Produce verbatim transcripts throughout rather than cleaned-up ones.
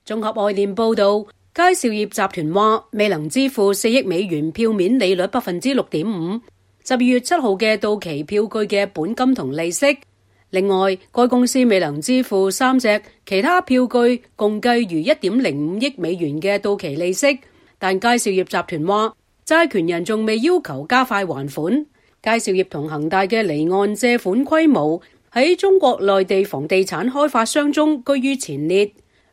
綜合外電報道，佳兆業集團話未能支付四億美元票面利率百分之六點五，十二月七號嘅到期票據嘅本金同利息。另外，該公司未能支付三隻其他票據，共計逾一點零五億美元嘅到期利息。但佳兆業集團話，債權人仲未要求加快還款。佳兆業同恒大嘅離岸借款規模喺中國內地房地產開發商中居於前列。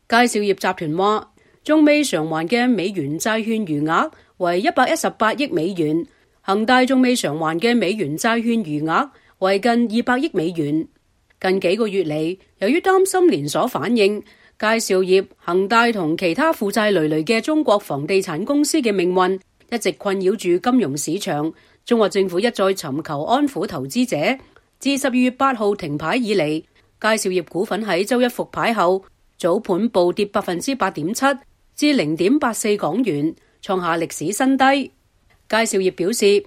佳兆業集團話，仲未償還嘅美元債券餘額為一百一十八億美元，恒大仲未償還嘅美元債券餘額為近二百億美元。近幾個月嚟，由於擔心連鎖反應，佳兆業、恒大同其他負債累累嘅中國房地產公司嘅命運一直困擾住金融市場。中國政府一再尋求安撫投資者。自十二月八號停牌以嚟，佳兆業股份喺周一復牌後，早盤暴跌百分之八點七至零點八四港元，創下歷史新低。佳兆業表示，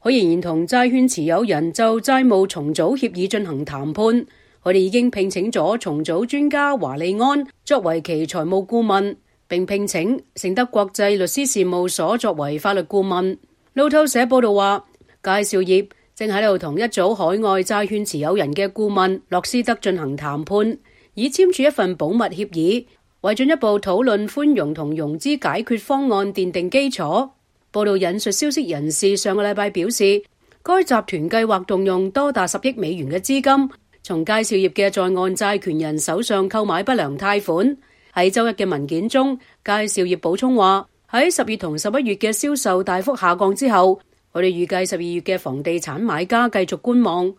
可仍然同債券持有人就債務重組協議進行談判。我哋已經聘請咗重組專家華利安作為其財務顧問，並聘請盛德國際律師事務所作為法律顧問。路透社報道話，佳兆業正喺度同一組海外債券持有人嘅顧問洛斯德進行談判，以簽署一份保密協議，為進一步討論寬容同融資解決方案奠定基礎。報道引述消息人士上個禮拜表示，該集團計劃動用多達十億美元嘅資金，從佳兆業嘅在岸債權人手上購買不良貸款。喺周一嘅文件中，佳兆業補充話，喺十月同十一月嘅銷售大幅下降之後，我哋預計十二月嘅房地產買家繼續觀望。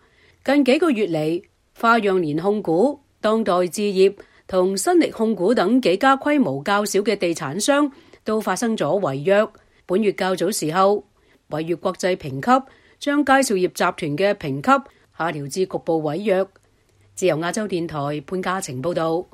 近幾個月嚟，花樣年控股、當代置業同新力控股等幾家規模較小嘅地產商都發生咗違約。本月較早時候，違約國際評級將佳兆業集團嘅評級下調至局部違約。自由亞洲電台潘嘉晴報道。